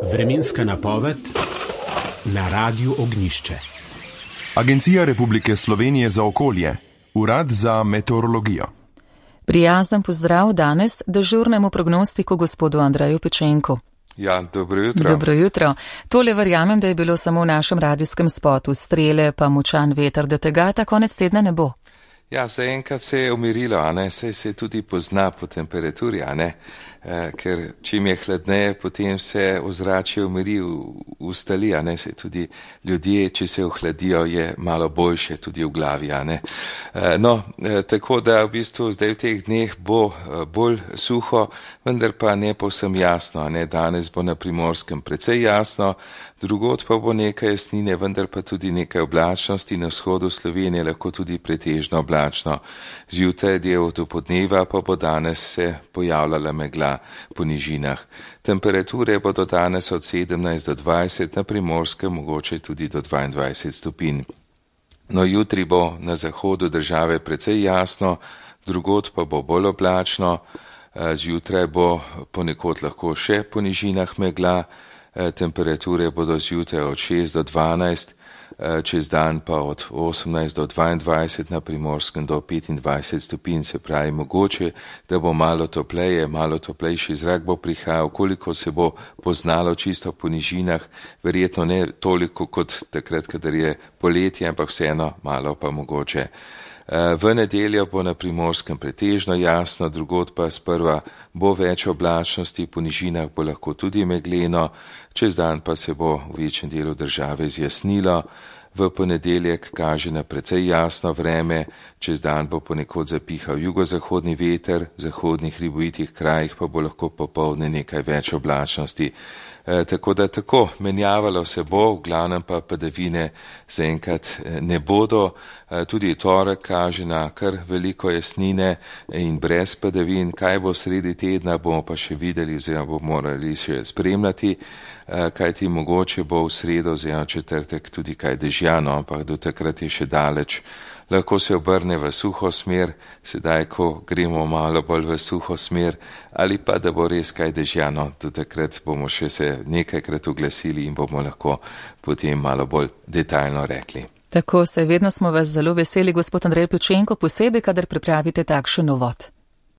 Vremenska napoved na Radiu Ognjišče. Agencija Republike Slovenije za okolje, Urad za meteorologijo. Prijazen pozdrav danes dežurnemu prognostiku gospodu Andreju Pečenku. Ja, dobro jutro. Dobro jutro. Tole verjamem, da je bilo samo v našem radijskem spotu, strele pa močan veter, da tega ta konec tedna ne bo. Ja, zaenkrat se je umirilo, saj se tudi pozna po temperaturi, ker čim je hladneje, potem se ozračje umiri, ustali, saj tudi ljudje, če se ohladijo, je malo boljše tudi v glavi, tako da v bistvu zdaj v teh dneh bo bolj suho, vendar pa ne povsem jasno, danes bo na Primorskem precej jasno, drugod pa bo nekaj jasnine, vendar pa tudi nekaj oblačnosti, na vzhodu Slovenije lahko tudi pretežno oblačno. Zjutraj del dopoldneva pa bo danes se pojavljala megla po nižinah. Temperature bodo danes od 17 do 20, na Primorskem mogoče tudi do 22 stopinj. No, jutri bo na zahodu države precej jasno, drugod pa bo bolj oblačno, zjutraj bo ponekod lahko še po nižinah megla, temperature bodo zjutraj od 6 do 12, čez dan pa od 18 do 22, na Primorskem do 25 stopinj, se pravi mogoče, da bo malo topleje, malo toplejši zrak bo prihajal, koliko se bo poznalo čisto po nižinah, verjetno ne toliko kot takrat, kadar je poletje, ampak vseeno malo pa mogoče. V nedeljo bo na Primorskem pretežno jasno, drugod pa sprva bo več oblačnosti, po nižinah bo lahko tudi megleno, čez dan pa se bo v večjem delu države zjasnilo. V ponedeljek kaže na precej jasno vreme, čez dan bo ponekod zapihal jugozahodni veter, v zahodnih hribovitih krajih pa bo lahko popoldne nekaj več oblačnosti. Tako da tako, menjavalo se bo, v glavnem pa padavine zaenkrat ne bodo. Tudi torek kaže na kar veliko jasnine in brez padavin. Kaj bo sredi tedna, bomo pa še videli oziroma bomo morali še spremljati, kajti mogoče bo v sredo oziroma četrtek tudi kaj dežjano, ampak do takrat je še daleč. Lahko se obrne v suho smer, sedaj, ko gremo malo bolj v suho smer, ali pa da bo res kaj dežjano, do takrat bomo še se nekajkrat oglasili in bomo lahko potem malo bolj detaljno rekli. Tako se, vedno smo vas zelo veseli, gospod Andrej Pečenko, posebej, kadar pripravite takšen uvod.